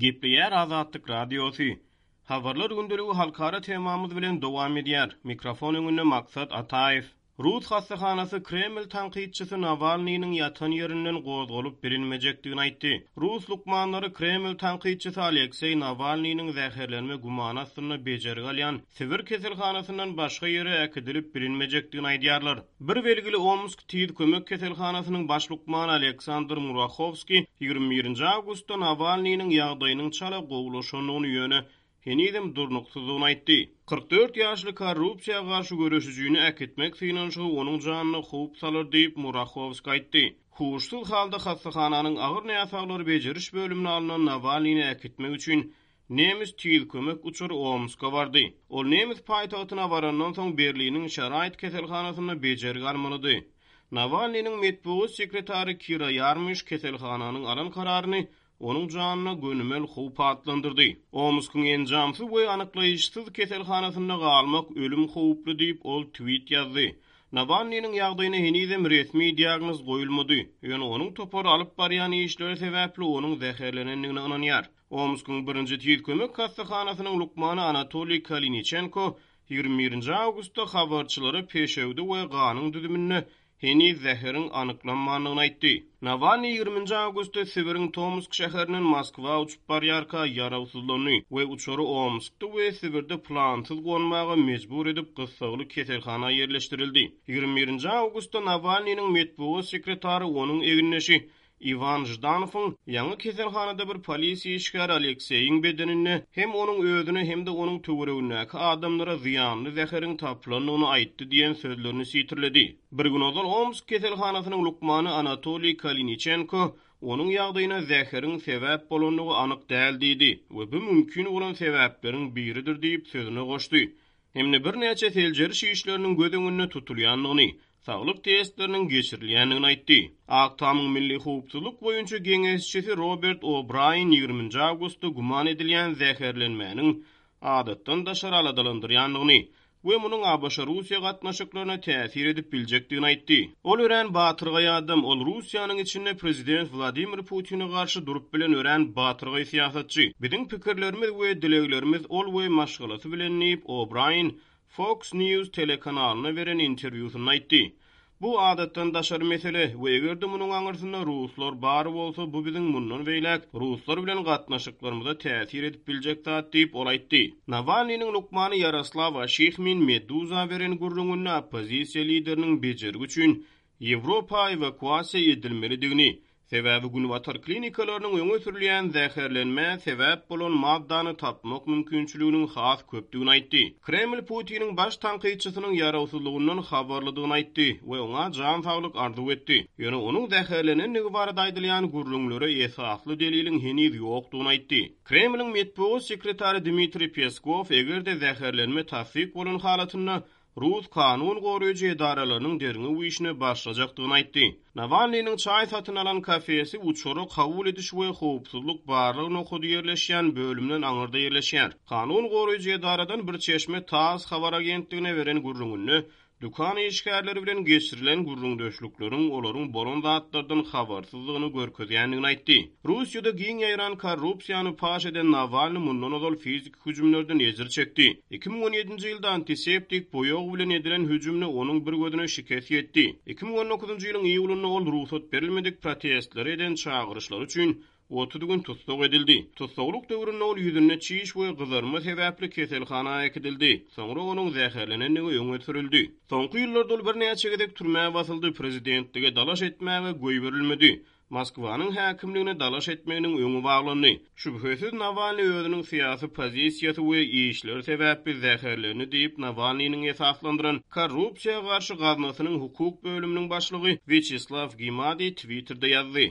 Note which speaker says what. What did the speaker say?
Speaker 1: Gepleýär Azatlyk Radiosy. Habarlar gündeligi halkara temamyz bilen dowam edýär. Mikrofon öňünde Maksat Ataýew. Rus hassahanasy Kreml tankytçysy Nawalnynyň ýatan ýerinden gozgalyp bilinmejekdigini aýtdy. Rus lukmanlary Kreml tankytçysy Alekseý Nawalnynyň zäherlenme gümany astynda bejergi alýan Sibir keselhanasyndan başga ýere äkidilip bilinmejekdigini aýdýarlar. Bir belgili Omsk tiz kömek keselhanasynyň baş lukmany Aleksandr Murahowskiý 21-nji awgustda Nawalnynyň ýagdaýynyň çala gowulaşandygyny, ýöne henizem durnuksyzdygyny aýtdy. 44 ýaşly korrupsiýa garşy göreşijini äkitmek synanyşygy onuň janyna howp salar diýip, Murahowskiý aýtdy. Huşsuz halda hassahananyň agyr näsaglary bejeriş bölümine alnan Nawalnyny äkitmek üçin Nemes tiz kömek uçary Omska bardy. Ol nemes paýtagtyna barandan soň Berliniň Şaraýt keselhanasynda bejergi almalydy. Nawalnynyň metbugat sekretary Kira Ýarmyş keselhananyň alan kararyny onuň janyna gönümel howp atlandyrdy. Omskyň enjamsyz we anyklaýyşsyz keselhanasynda galmak ölüm howply diýip, ol tweet ýazdy. Nawalnynyň ýagdaýyna henizem resmi diagnoz goýulmady, ýöne onuň topary alyp barýan işleri sebäpli onuň zäherlenendigine ynanýar. Omskyň birinji tiz kömek hassahanasynyň lukmany Anatoliý Kaliniçenko 21-nji awgustda habarçylara peşewde we ganyň düzüminde heniz zäheriň anyklanmandygyny aýtdy. Nawalnyý ýigriminji awgustda Sibiriň Tomsk şäherinden Moskwa uçup barýarka ýarawsyzlandy we uçary Omskda we Sibirde plansyz gonmaga mejbur edip gyssagly keselhana ýerleşdirildi. 21-nji awgustda Nawalnynyň metbugat sekretary onuň egindeşi Iwan Ždanowyň ýaňy keselhanada bir polisiýa işgäri Alekseýiň bedeninde hem onuň özüne hem-de onuň töweregindäki adamlara zyýanly zäheriň tapylandygyny aýtdy diýen sözlerini sitirledi. Bir gün ozal Omsk keselhanasynyň lukmany Anatoliý Kaliniçenko onuň ýagdaýyna zäheriň sebäp bolandygy anyk däl diýdi we bu mümkin bolan sebäpleriň biridir diýip sözüne goşdy. Hem-de birnäçe seljeriş işleriniň göz öňünde tutulýandygyny, saglyk testleriniň geçirilýändigini aýtdy. Ak Tamyň milli howpsuzlyk boýunça geňeşçisi Robert O'Braýen ýigriminji awgustda güman edilýän zäherlenmäniň adatdan daşary aladalandyrýandygyny we munuň ABŞ-Russiýa gatnaşyklaryna täsir edip biljekdigini aýtdy. Ol örän batyrgaý adam, ol Russiýanyň içinde prezident Wladimir Putine garşy durup bilen örän batyrgaý syýasatçy. Biziň pikirlerimiz we dileglerimiz ol we maşgalasy bilen diýip, O'Braýen Fox News telekanalyna beren interwýusynda aýtdy. Bu adatdan daşary mesele we eger-de munuň aňyrsynda ruslar bar bolsa, bu biziň mundan beýläk ruslar bilen gatnaşyklarymyza täsir edip biljek zat diýip, ol aýtdy. Nawalnynyň lukmany Ýaroslaw Aşihmin Meduza beren gürrüňinde oppozisiýa lideriniň bejergi üçin Ýewropa ewakuasiýa edilmelidigini, sebäbi günbatar klinikalarynyň öňe sürülýän zäherlenmä sebäp bolan maddany tapmak mümkinçiliginiň has köpdügini aýtdy. Kreml Putiniň baş tankytçysynyň ýarawsyzlygyndan habarlydygyny aýtdy we oňa jan saglyk arzuw etdi. Ýöne onuň zäherlenendigi barada aýdylýan gürrüňlere esasly deliliň heniz ýokdugyny aýtdy. Kremliň metbugat sekretary Dmitriý Peskow eger-de zäherlenme tassyk bolan halatynda rus kanun goraýjy edaralarynyň derňew işine başlajakdygyny aýtdy. Nawalnynyň çaý satyn alan kafesi uçara kabul ediş we howpsuzlyk barlag nokady ýerleşýän bölümden aňyrda ýerleşýär. Kanun goraýjy edaradan bir çeşme TASS habar agentligine beren gürrüňinde Dükan işgärleri bilen geçirilen gürrüňdeşlikleriň olaryň bolan zatlardan habarsyzdygyny görkezýändigini aýtdy. Russiýada giň ýaýran korrupsiýany paş eden Nawalny mundan ozal fiziki hüjümlerden ejir çekdi. 2017-nji ýylda antiseptik boýag bilen edilen hüjümde onuň bir gözüne şikes ýetdi. 2019-njy ýylyň iýulynda ol rugsat berilmedik protestlere eden çagyryşlary üçin 30 gün tussag edildi. Tussaglyk döwründe ol ýüzünde çiş we gyzarma sebäpli keselhana äkidildi. Soňra onuň zäherlenendigi öňe sürüldi. Soňky ýyllarda ol birnäçe gezek türmä basyldy, prezidentlige dalaş etmäge goýberilmedi. Moskwanyň häkimligine dalaş etmeginiň öňi baglandy. Şübhesiz Nawalnyý özüniň syýasy pozisiýasy we işleri sebäpli zäherlendi diýip, Nawalnynyň esaslandyran Korrupsiýa garşy gaznasynyň hukuk bölüminiň başlygy Wýaçeslaw Gimadiý Twitterde ýazdy.